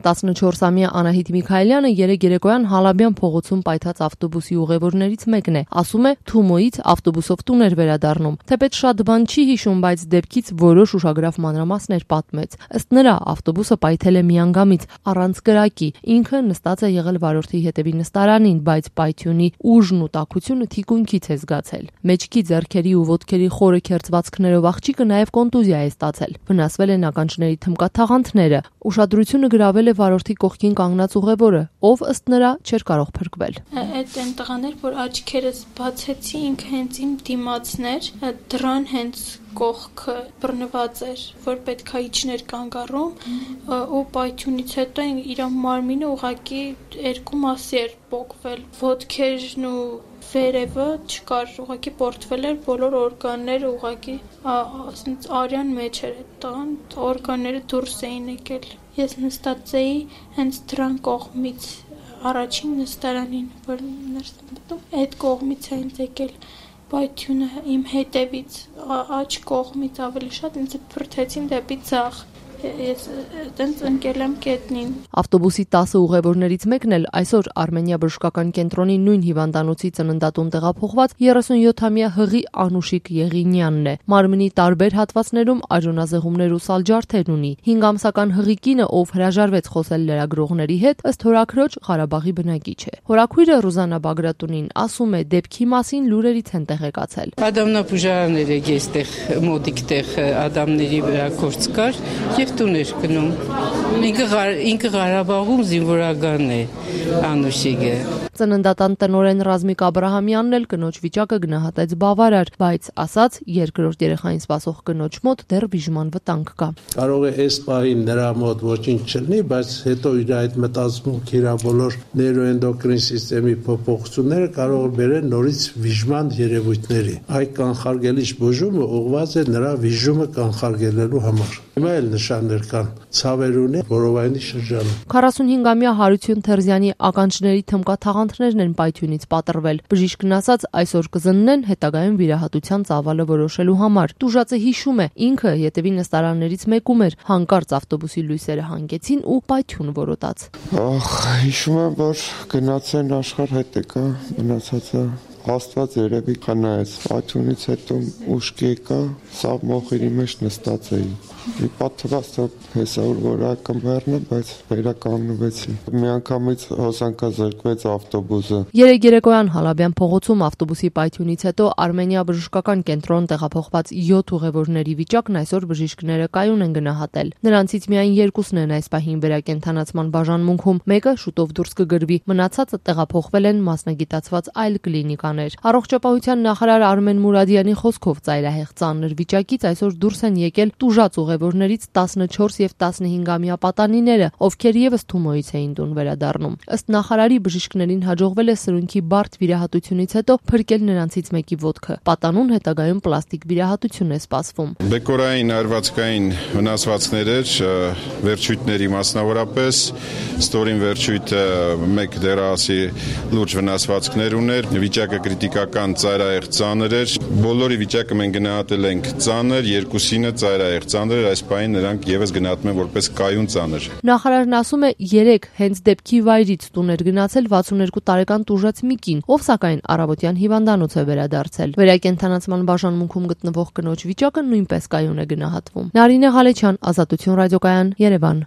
14-ամյա Անահիտ Միքայելյանը երեկ երեկոյան Հալաբյան փողոցում պայթած ավտոբուսի ուղևորներից մեկն է, ասում է Թումոյից ավտոբուսով տուն էր վերադառնում, թեպետ շատ բան չի հիշում, բայց դեպքից որոշ ուշագրավ մանրամասներ պատմեց։ Ըստ նրա ավտոբուսը պայթել է միանգամից առանց կրակի, ինքը նստած է եղել վարորդի հետևի նստարանին, բայց պայթյունի ուժն ու տաքությունը թիկունքից է զգացել։ Մեջքի, ձեռքերի ու ոտքերի խորը քերծվածքներով աղջիկը նաև կոնտուզիա է ստացել։ Վնասվել են ականջների թմկաթաղանթները։ Ուշադրությունը գրավել է վարորդի կողքին կանգնած ուղևորը, ով ըստ նրա չէր կարող փրկվել։ Այդ այն տղաներ, որ աչքերս բացեցի, ինքը հենց իմ դիմացներ, դրան հենց կողքը բռնված էր, որ պետք է իջներ կանգառում ու պայթյունից հետո իր մարմինը ուղղակի երկու մասի էր պոկվել, ոտքերն ու վերևը չկար, ուղղակի պորտվել էր բոլոր օրգանները, ուղղակի արյան մեջ էր այդ տղան, օրգանները դուրս էին եկել։ Ես նստած էի հենց դրան կողմից, առաջին նստարանին, որ ներս եմ մտնում, այդ կողմից էին եկել պայթյունը իմ հետևից, աջ կողմից ավելի շատ ինձ փրթեցին դեպի ձախ։ Ես տենց ընկել եմ կետնին։ Ավտոբուսի 10 ուղևորներից մեկն էլ այսօր Արմենիա բժշկական կենտրոնի նույն հիվանդանոցի ծննդատուն տեղափոխված 37-ամյա Հղի Անուշիկ Եղինյանն է։ Մարմնի տարբեր հատվածներում արյունազեղումներ ու սալջարդեր ունի։ 5 ամսական Հղի կինը, ով հրաժարվեց խոսել լրագրողների հետ, ըստ հորաքրոջ Ղարաբաղի բնակիչ է։ Հորաքույրը Ռուզանա Բագրատունին ասում է, դեպքի մասին լուրերից են տեղեկացել։ Ադամնապուժարաններ եկի այստեղ մոտիկ տեղ ադամների վրա գործ կար եւ տուն էր գնում։ Ինքը Ղարաբաղում զինվորական է Անուշիկը։ Ծննդատան տնօրեն Ռազմիկ Աբրահամյանն էլ կնոջ վիճակը գնահատեց բավարար, բայց ասաց երկրորդ երեխային սպասող կնոջ մոտ դեռ բիժման վտանգ կա։ Կարող է այս պահին նրա մոտ ոչինչ չլինի, բայց հետո իր այդ մտածմունքի իր բոլոր նեյրոէնդոկրին սիստեմի փոփոխությունները կարող է բերել նորից վիժման երևույթների։ Այդ կանխարգելիչ բուժումը ուղղված է նրա վիժումը կանխարգելելու համար։ Հիմա էլ նշաններ կան ցավեր ունի որովայնի շրջանում։ 45-ամյա Հարություն Թերզյանի ականջների թմկաթաղանթներն են պայթյունից պատռվել։ Բժիշկն ասաց, այսօր կզննեն հետագայում վիրահատության ծավալը որոշելու համար։ Տուժածը հիշում է, ինքը ետևի նստարաններից մեկում էր, հանկարծ ավտոբուսի լույսերը հանգեցին ու պայթյուն որոտաց։ Հիշում եմ, որ գնացեն աշխարհ հետ եկա, մնացածը Աստված երևի խնայեց, պայթյունից հետո ուշք եկա, սա մոխիրի մեջ նստած էի։ Մի պատվաստը հեսա որ ակամբերն է, բայց վերականգնվեցի։ Միանգամից հոսանքազրկվեց ավտոբուսը։ Երեկ երեկոյան Հալաբյան փողոցում ավտոբուսի պայթյունից հետո Արմենիա բժշկական կենտրոն տեղափոխված 7 ուղևորների վիճակն այսօր բժիշկները կայուն են գնահատել։ Նրանցից միայն 2-ն են այս պահին վերակենդանացման բաժանմունքում, մեկը շուտով դուրս կգրվի, մնացածը տեղափոխվել են մասնագիտացված այլ կլինիկա։ Առողջապահության նախարար Արմեն Մուրադյանի խոսքով ծայրահեղ ծանր վիճակից այսօր դուրս են եկել տուժած ուղևորներից 14 եւ 15-ամյա պատանիները, ովքեր եւս Թումոյից էին տուն վերադառնում։ Ըստ նախարարի բժիշկներին հաջողվել է սրունքի բարդ վիրահատությունից հետո փրկել նրանցից մեկի ոտքը։ Պատանուն հետագայում պլաստիկ վիրահատություն է սպասվում։ Բեկորային արվածքային վնասվածքներ էր, վերջույթների մասնավորապես, ստորին վերջույթը մեկ դեռասի լուրջ վնասվածքներ ուներ, վիճակը կրիտիկական ծայրահեղ ծանր էր։ Բոլորի վիճակը մենք գնահատել ենք ծանր, երկուսինը ծայրահեղ ծանր էր, այս պահին նրանք եւս գնահատում են որպես կայուն ծանր։ Նախարարն ասում է, 3 հենց դեպքի վայրից տուն էր գնացել 62 տարեկան տուժած մի կին, ով սակայն առավոտյան հիվանդանոց է վերադարձել։ Վերակենդանացման բաժանմունքում գտնվող կնոջ վիճակը նույնպես կայուն է գնահատվում։ Նարինե Ղալեչյան, Ազատություն ռադիոկայան, Երևան։